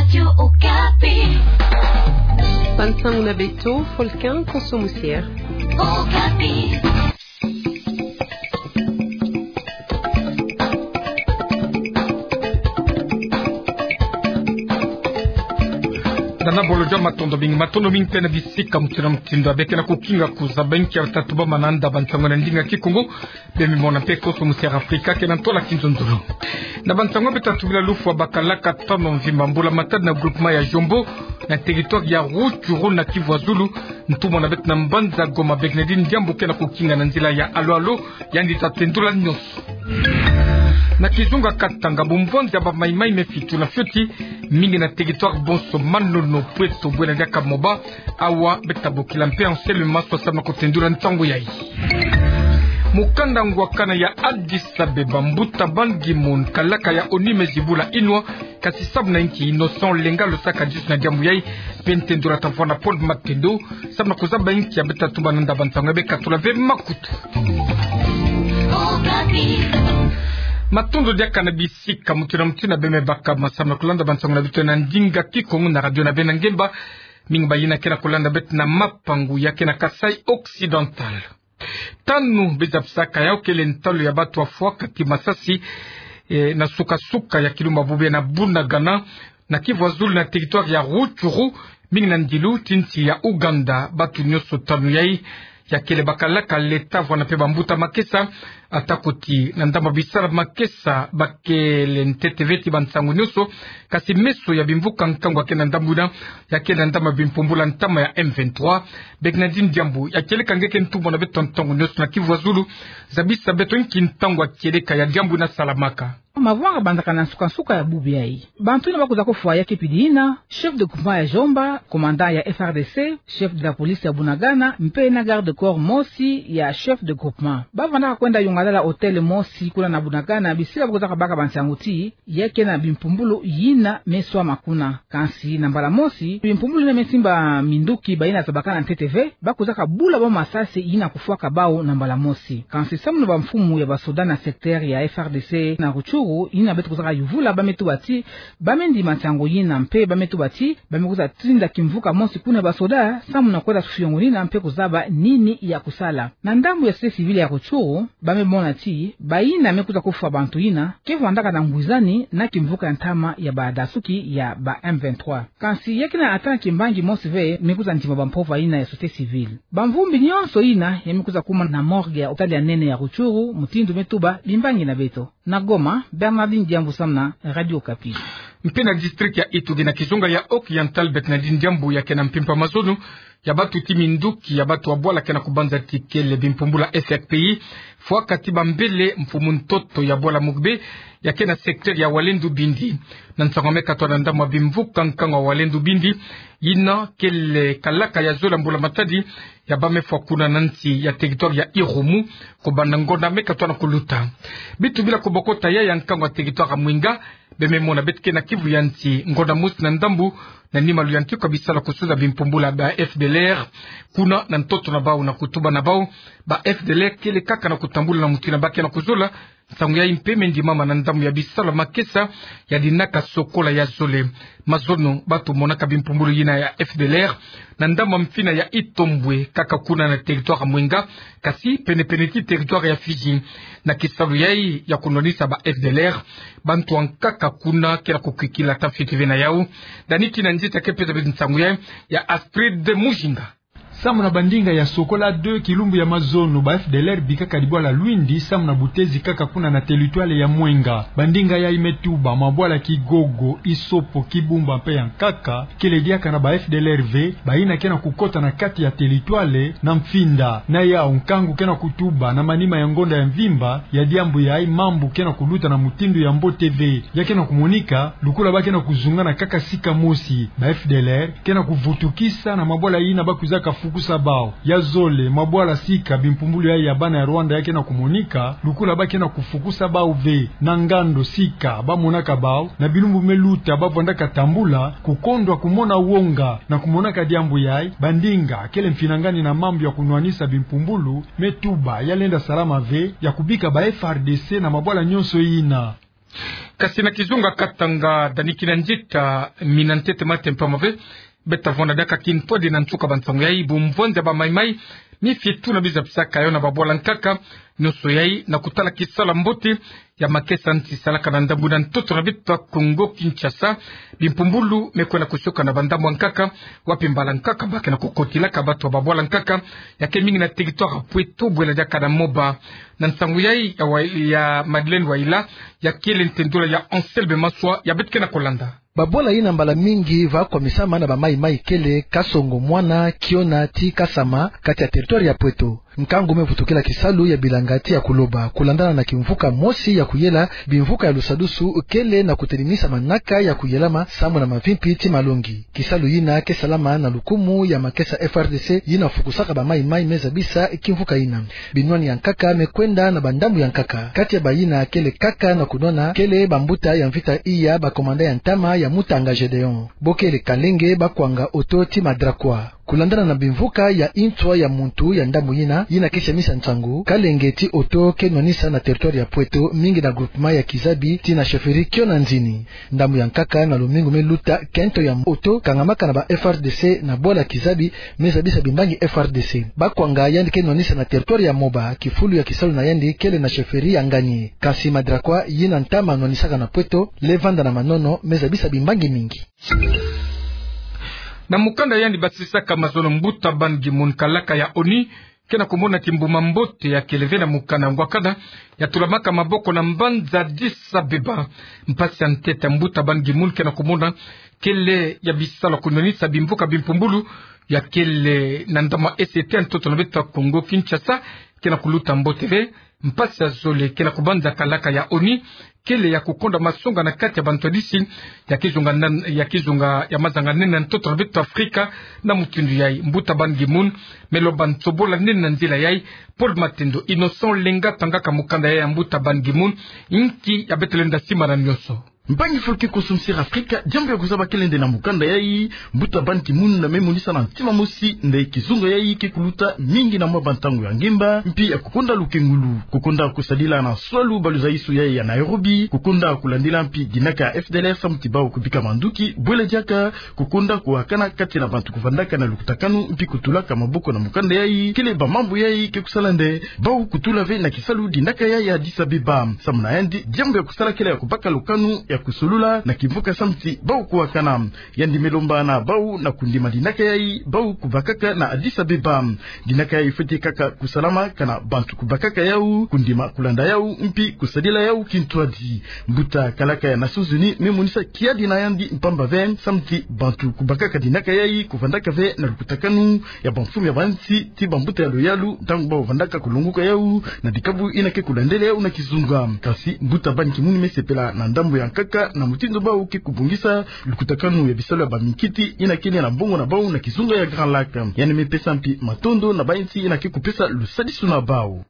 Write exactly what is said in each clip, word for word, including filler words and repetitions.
Radio Okapi. Bansango na beto, Folkin Koso Musier. Okapi. Nana bolo dia matondo mingi, matondo mingi mpe na bisika mutindu na mutindu ya beke na kukinga kuzaba inki ya tatu ba mananda bansango na ndinga Kikongo. Bemimona mpe Koso Musier Afrika ke na ntola kinzonzolo. Na bansango beta tubila, lufwa bakalaka tano mvimba mbula matadi na groupement ya Jombo, na territoire ya Rutshuru na Kivu ya Zulu, ntumwa na beto na mbanza Goma, Bernardine Diambu ke na kukinga na nzila ya alo-alo, yandi ta tendula nionso. Na kizunga Katanga, bumvonza ya ba Maï-Maï me fitu na fioti, mingi na territoire bonso, Manono, Pweto, Bwena Diaka, Moba, awa beta bokila mpe Anselme Maswa samu na kutendula nsangu yayi. Mukanda ngwakana ya Addis Abeba, mbuta Ban Ki-moon, kalaka ya ONU me zibula inwa, kasi samu na inki Innocent Olenga Lusaka disu na diambu yayi, mpe ntendula ta vwanda Paul Matendo, samu na kuzaba inki ya beta tumba nanda bansango ya beka tula ve makutu. Matondo diaka na bisika mutindu na mutindu ya bemebaka ma samu na kulanda bansango na beto na ndinga Kikongo na radio na beno ya ngemba. Mingi bayina ke na kulanda beto na mapangu ya ke na Kasaï Occidental. Tanu bezabisaka yawu kele ntalu ya batu afwa kati masasi, eh, na suka-suka ya kilumbu ya bubu na Bunagana, na Kivu ya Zulu na territoire ya Rutshuru, mingi na ndilu ti nsi ya Ouganda. Batu nionso tanu yayi ya kele bakalaka leta vwanda mpe bambuta makesa, atako ti na ndambu ya bisala makesa ba kele ntete ve ti bansangu nionso, kasi meso ya bimvuka nkangu ya ke na ndambu yina, ya ke na ndambu ya bimpumbulu ya ntama ya M vingt-trois. Bernardine Diambu, ya kieleka nge ke ntumwa na beto ntangu nionso na Kivu ya Zulu, zabisa beto inki ntangu ya kieleka ya diambu yina salamaka. Mavanga bandaka na nsuka-nsuka ya bubu yayi. Bantu yina bakwiza kofwa ya ke pidi yina: chef de groupement ya Jombo, commandant ya F R D C, chef de la police ya Bunagana, mpe na garde corps mosi ya chef de groupement. Bavandaka kwenda yongalala hôtel mosi kuna na Bunagana, bisila bakwizaka baka bansangu ti ya ke na bimpumbulu yina me swama kuna. Kansi na mbala mosi, bimpumbulu yina me simba minduki bayina zabakana ntete ve, bakwizaka bula bau masasi yina kufwaka bau na mbala mosi. Kansi samu na bamfumu ya basoda na secteur ya F R D C na Rutshuru, yina beto kwizaka yuvula, ba me tuba ti ba me ndima nsangu yina, mpe ba me tuba ti ba me kwiza tinda kimvuka mosi kuna ya basoda samu na kwenda fiongo yina mpe kuzaba nini ya kusala. Na ndambu ya société civile ya Rutshuru, ba me mona ti bayina me kwiza kofwa bantu yina ke vandaka na ngwizani na kimvuka ya ntama ya badasuki ya ba M vingt-trois. Kansi ya ke na ata na kimbangi mosi ve me kwiza ndima bampova yina ya société civile. Bamvumbi nionso yina ya me kwiza kuma na morgue ya hôpital ya nene ya Rutshuru, mutindu me tuba bimbangi na beto. Na Goma, Bernardine Diambu samu na Radio Okapi. Mpe na district ya Ituri na kizunga ya Occidental, Bernardine Diambu, ya ke na mpimpa mazono ya batu ti minduki ya batu ya bwala ke na kubanza ti kele bimpumbulu ya F R P I, fwaka ti bambele mfumu ntoto ya bwala Mugbe, ya ke na secteur ya Walendu Bindi. Na nsangu ya me katwa na ndambu ya bimvuka nkangu ya Walendu Bindi, yina kele kalaka ya zole ya mbula matadi ya ba me fwa kuna na nsi ya territoire ya Irumu, kubanda ngonda me katwa na kuluta. Bitu bila kubokota ya ya nkangu ya territoire ya Mwenga, be me mona beto ke na kivu ya nsi, ngonda mosi na ndambu, na nima luyantiku ya bisala kusuza bimpumbulu ya ba F D L R kuna na ntoto na bau, na kutuba na bau, ba F D L R kele kaka na kutambula na mutu yina ba ke na kuzola. Nsangu yayi mpe me ndimama na ndambu ya bisala makesa ya dinaka sokola ya zole. Mazono batu monaka bimpumbulu yina ya F D L R na ndambu ya mfina ya Itombwe, kaka kuna na territoire ya Mwenga, kasi pene-pene ti territoire ya Fidji. Na kisalu yayi ya kunwanisa ba F D L R, bantu ya nkaka kuna ke na kukwikila ata fioti ve na yau. Dani ti na nzita ke pesa beto nsangu yayi, ya Astrid Mujinga. Samu na bandinga ya sokola deux, kilumbu ya mazono ba F D L R bikaka dibwala Lwindi samu na butezi kaka kuna na territoire ya Mwenga. Bandinga yayi me tuba mabwala Kigogo, Isopo, Kibumba mpe ya nkaka kele diaka na ba F D L R ve, bayina ke na kukota na kati ya territoire na mfinda. Na yau, nkangu ke na kutuba na manima ya ngonda ya mvimba ya diambu yayi, mambu ke na kuluta na mutindu ya mbote ve. Ya ke na kumonika lukula ba ke na kuzungana kaka sika mosi. Ba F D L R ke na kuvutukisa na mabwala yina ba kwizaka fukusa bau. Ya zole, mabwala sika bimpumbulu yayi ya bana ya Rwanda ya ke na kumonika lukula ba ke na kufukusa bau ve. Na ngando sika ba monaka bau, na bilumbu me luta ba vandaka tambula, kukondwa kumona wonga. Na kumonaka diambu yayi, bandinga kele mfinangani na mambu ya kunwanisa bimpumbulu me tuba ya lenda salama ve, ya kubika ba F R D C na mabwala nionso yina. Kasi na kizunga Katanga, dani kina nzita mina ntete mate mpamba ve, beta vwanda diaka kintwadi na nsuka ba nsangu yai, bumvwandi ya bamaimai, mifietu na biza bisaka yo na babwala nkaka, nionso yai na kutala kisalu ya mbote ya makesa nti salaka na ndambu na ntoto na beto ya Kongo Kinshasa. Bimpumbulu me kwenda kusioka na bandambu ya nkaka, wapi mbala nkaka ba ke na kukotilaka bato ya babwala nkaka, ya ke mingi na territoire ya Pweto, bwela diaka na Moba. Na nsangu yai ya wa-, ya Madeleine Waila, ya kele ntendula ya Anselme Maswa, ya beto ke na kulanda. Babwala yina mbala mingi va kwamisama na bamaimai kele Kasongo Mwana, Kiona ti Kasama, kati ya territoire ya Pweto. Nkangu me vutukila kisalu ya bilanga ti ya kuloba, kulandana na kimvuka mosi ya kuyela bimvuka ya lusadusu kele na kutelimisa manaka ya kuyelama samu na mavimpi ti malongi. Kisalu yina ke salama na lukumu ya makesa F R D C yina fukusaka bamaimai me zabisa kimvuka yina. Binwani ya nkaka me kwenda na bandambu ya nkaka. Kati ya bayina kele kaka na kunwana kele bambuta ya mvita iya, bakomanda ya ntama ya Mutanga Gedeon. Bo kele Kalenge, ba kwanga oto ti Madrakwa. Kulandana na bimvuka ya inswa ya muntu ya ndambu yina, yina ke siamisa nsangu, Kalenge ti oto ke nwanisa na territoire ya Pweto, mingi na groupement ya Kizabi ti na chefferie Kiona Nzini. Ndambu ya nkaka na lumingu me luta, kento ya oto kangamaka na ba F R D C na bwala Kizabi, me zabisa bimbangi F R D C. Ba kwanga yandi ke nwanisa na territoire ya Moba, kifulu ya kisalu na yandi kele na chefferie ya Nganie. Kasi Madrakwa yina ntama nwanisaka na Pweto, le vanda na manono, me zabisa bimbangi mingi. Na mukanda yandi basisaka mazono, mbuta Ban Ki-moon, kalaka ya ONU, ke na kumona kimbuma mbote ya kele ve na mukanda ngwakana, ya tulamaka maboko na mbanza Addis Abeba. Mpasi ya ntete ya mbuta Ban Ki-moon ke na kumona kele ya bisalu ya kunwanisa bimvuka bimpumbulu ya kele na ndambu ya Est ya ntoto na beto ya Kongo Kinshasa, ke na kuluta mbote ve. Mpasi ya zole ke na kubanza kalaka ya ONU kele ya kukonda masonga na kati ya bantwadisi ya kizunga nan-, ya kizunga ya mazanga nene na ntoto na beto Afrika. Na mutindu yai, mbuta Ban Ki-moon me loba nsobola nene na nzila yai. Paul Matendo, Innocent Lenga tangaka mukanda yai ya mbuta Ban Ki-moon, inki ya beto lenda simbana nionso. Mpangi fulu ke kusunsiri Afrika, diambu ya kuzaba kele nde na mukanda yai, mbuta Ban Ki-moon me monisa na ntima mosi nde kizunga yai ke kuluta mingi na mwa bantangu ya ngemba, mpi ya kukonda lukengulu, kukonda kusadila na swalu ba luzaisu yai ya Nairobi, kukonda kulandila mpi dinaka ya F D L R samu ti bau kubika manduki, bwela diaka kukonda kuwakana kati na bantu kuvandaka na lukutakanu, mpi kutulaka maboko na mukanda yai, kele bamambu yai ke kusala nde bau kutula ve na kisalu dinaka yai ya Addis Abeba. Samu na yandi, diambu ya kusala kele ya kubaka lukanu ya kusolula na kimvuka samu ti bau kuwakana. Yandi me lomba na bau na kundima dinaka yai bau kubakaka na Addis Abeba. Dinaka yai fwete kaka kusalama kana bantu kubakaka yau, kundima kulanda yau, mpi kusadila yau kintwadi. Mbuta kalaka ya Nations Unies me monisa kiadi na yandi mpamba ve samu ti bantu kubakaka dinaka yai kuvandaka ve na lukutakanu ya bamfumu ya bansi ti bambuta ya luyalu ntangu bau vandaka kulonguka yau na dikabu yina ke kulandele yau na kizunga. Kasi mbuta Ban Ki-moon me sepela na ndambu ya nkaka na mutindu bau ke kubongisa lukutakanu ya bisalu ya baminkiti yina kele na mbongo na bau na kizunga ya Grand Lac. Yandi me pesa mpi matondo na bansi yina ke kupesa lusadisu na bau.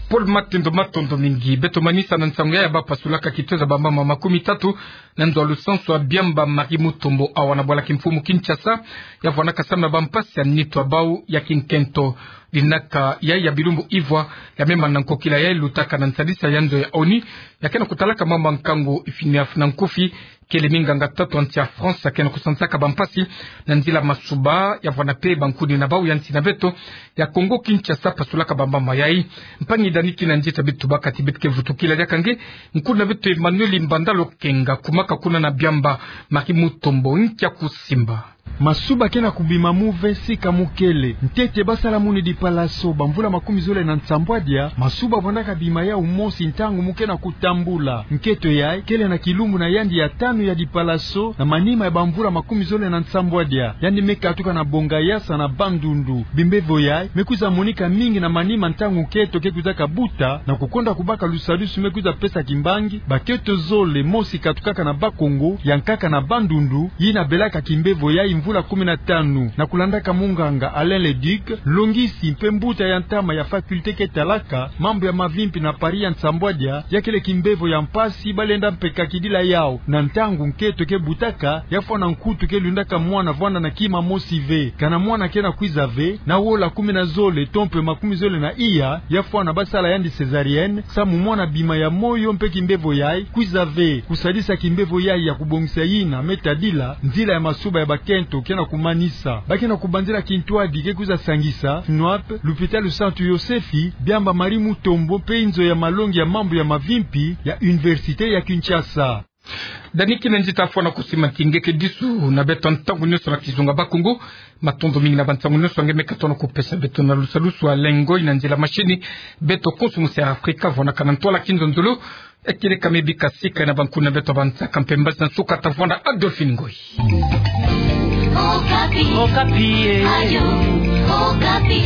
Paul Matendo, matondo mingi. Beto manisa na nsangu yai ya bapasulaka kitoza bamama makumi tatu na nzo ya lusansu ya Biamba Marie Mutombo, awa na bwala kimfumu Kinshasa, ya vwandaka samu na bampasi ya nitu ya bau ya kinkento. Dinaka yai ya bilumbu ivwa ya me mana nkokila yai lutaka na nsadisa ya nzo ya ONU ya ke na kutalaka mama nkangu, Phineas Nankufi, kele minganga tatu ya nsi ya France ya ke na kusansaka bampasi na nzila masuba, ya vwanda mpe bankuni na bau ya nsi na beto ya Kongo Kinshasa pasulaka bamama yai. Mpangi Dani Kinanzi, ta beto baka ti beto ke vutukila diaka nge, nkuni na beto Emmanuel Mbanda Lokenga, kumaka kuna na Biamba Marie Mutombo, nkia kusimba. Masuba ke na kubima mu ve sika mu kele. Ntete basalamuni dipalaso bamvula makumi zole na nsambwadia, masuba vwandaka bima yau mosi ntangu mu ke na kutambula. Nketo yai kele na kilumbu na yandi ya tanu ya dipalaso na manima ya bamvula makumi zole na nsambwadia. Yandi me katuka na Bongayasa na Bandundu. Bimbevo yai me kwiza monika mingi na manima ntangu nketo ke kwizaka buta, na kukonda kubaka lusadusu me kwiza pesa kimbangi banketo zole, mosi katukaka na Bas-Congo, ya nkaka na Bandundu, yina belaka kimbevo yai mvula kumi na tanu. Na kulandaka munganga Alain Leduc, longisi mpe mbuta ya ntama ya faculté ke talaka mambu ya mavimpi na Paris ya nsambwadia, ya kele kimbevo ya mpasi balenda mpe kakidila yawu na ntangu nkento ke butaka, ya fwana nkutu ke lundaka mwana vwanda na kima mosi ve. Kana mwana ke na kwiza ve na wola kumi na zole to mpe makumi zole na iya, ya fwana basala yandi césarienne, samu mwana bima ya moyo mpe kimbevo yayi kwiza ve. Kusadisa kimbevo yayi ya kubongisa yina me tadila, nzila ya masuba ya bakento ke na kumanisa. Ba ke na kubanzila kintwadi ke kwiza sangisa, FNOAP, lupitalu Santu Yosefi, Biamba Marie Mutombo mpe inzo ya malongi ya mambu ya mavimpi ya Université ya Kinshasa. Dani kina nzita fwana kusimanti nge ke disu na beto ntangu nyonso na kizunga Bakongo. Matondo mingi na bansangu nyonso nge me katono kupesa beto na lusalusu a lengo ina nzila mashini. Beto konso musi ya Afrika vwandaka na ntwala kinzonzolo. Ekele ka me bika sika na bankuna beto bansaka mpe mbazi na nsuka, tavwanda Adolphine Ngoyi. Okapi. Okapi, eh. Ayo, Okapi.